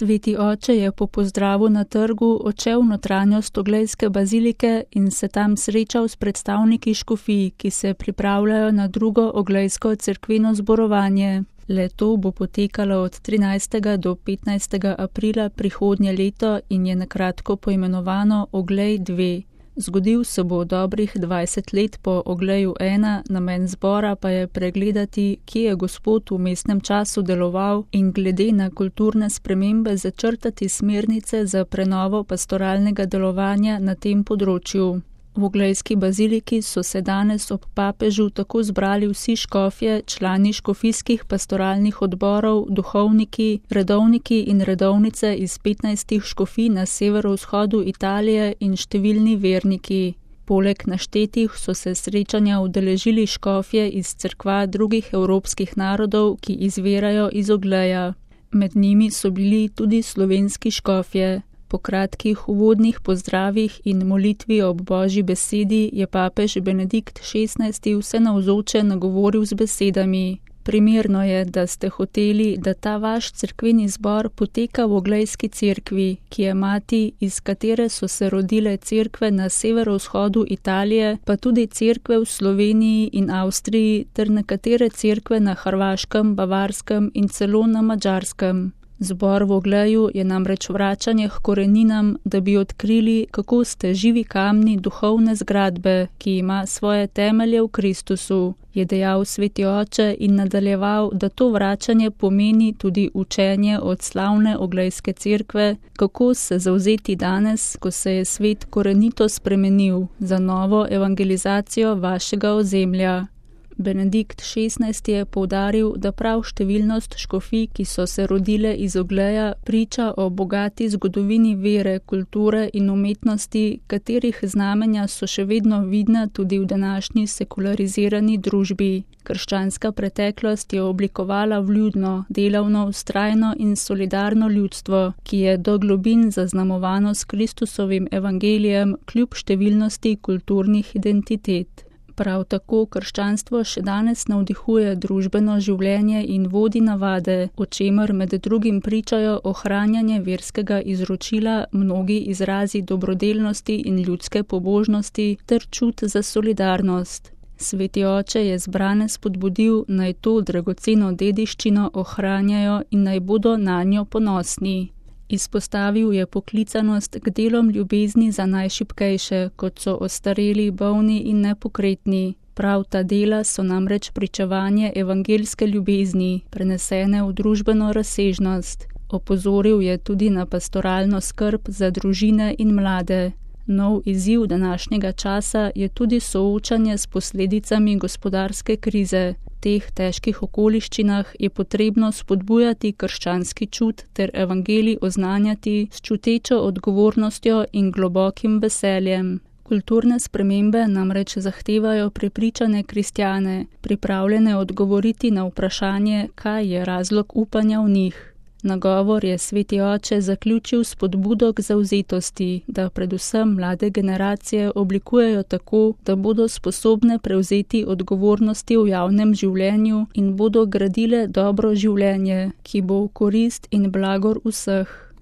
Sveti oče je po pozdravu na trgu odšel v notranjost oglejske bazilike in se tam srečal s predstavniki škofij, ki se pripravljajo na drugo oglejsko cerkveno zborovanje. Le-to bo potekalo od 13. do 15. aprila prihodnje leto in je nakratko poimenovano Oglej 2. Zgodil se bo dobrih 20 let po Ogleju 1, namen zbora pa je pregledati, kje je Gospod v vmesnem času deloval in glede na kulturne spremembe začrtati smernice za prenovo pastoralnega delovanja na tem področju. V oglejski baziliki so se danes ob papežu tako zbrali vsi škofje, člani škofijskih pastoralnih odborov, duhovniki, redovniki in redovnice iz 15 škofij na severovzhodu Italije in številni verniki. Poleg naštetih so se srečanja udeležili škofje iz cerkva drugih evropskih narodov, ki izvirajo iz Ogleja. Med njimi so bili tudi slovenski škofje. Po kratkih uvodnih pozdravih in molitvi ob Božji besedi je papež Benedikt XVI vse navzoče nagovoril z besedami: Primerno je, da ste hoteli, da ta vaš cerkveni zbor poteka v oglejski cerkvi, ki je mati, iz katere so se rodile cerkve na severovzhodu Italije, pa tudi cerkve v Sloveniji in Avstriji ter nekatere cerkve na Hrvaškem, Bavarskem in celo na Madžarskem. Zbor v Ogleju je namreč vračanje k koreninam, da bi odkrili, kako ste živi kamni duhovne zgradbe, ki ima svoje temelje v Kristusu, je dejal Sveti oče in nadaljeval, da to vračanje pomeni tudi učenje od slavne oglejske cerkve, kako se zavzeti danes, ko se je svet korenito spremenil, za novo evangelizacijo vašega ozemlja. Benedikt XVI je poudaril, da prav številnost škofij, ki so se rodile iz Ogleja, priča o bogati zgodovini vere, kulture in umetnosti, katerih znamenja so še vedno vidna tudi v današnji sekularizirani družbi. Krščanska preteklost je oblikovala vljudno, delavno, vztrajno in solidarno ljudstvo, ki je do globin zaznamovano s Kristusovim evangelijem kljub številnosti kulturnih identitet. Prav tako krščanstvo še danes navdihuje družbeno življenje in vodi navade, o čemer med drugim pričajo ohranjanje verskega izročila, mnogi izrazi dobrodelnosti in ljudske pobožnosti ter čut za solidarnost. Sveti oče je zbrane spodbudil, naj to dragoceno dediščino ohranjajo in naj bodo nanjo ponosni. Izpostavil je poklicanost k delom ljubezni za najšibkejše, kot so ostareli, bolni in nepokretni. Prav ta dela so namreč pričevanje evangeljske ljubezni, prenesene v družbeno razsežnost. Opozoril je tudi na pastoralno skrb za družine in mlade. Nov izziv današnjega časa je tudi soočanje s posledicami gospodarske krize. V teh težkih okoliščinah je potrebno spodbujati krščanski čut ter evangelij oznanjati s čutečo odgovornostjo in globokim veseljem. Kulturne spremembe namreč zahtevajo prepričane kristjane, pripravljene odgovoriti na vprašanje, kaj je razlog upanja v njih. Nagovor je Sveti oče zaključil s spodbudo k zavzetosti, da predvsem mlade generacije oblikujejo tako, da bodo sposobne prevzeti odgovornosti v javnem življenju in bodo gradile dobro življenje, ki bo v korist in blagor vseh.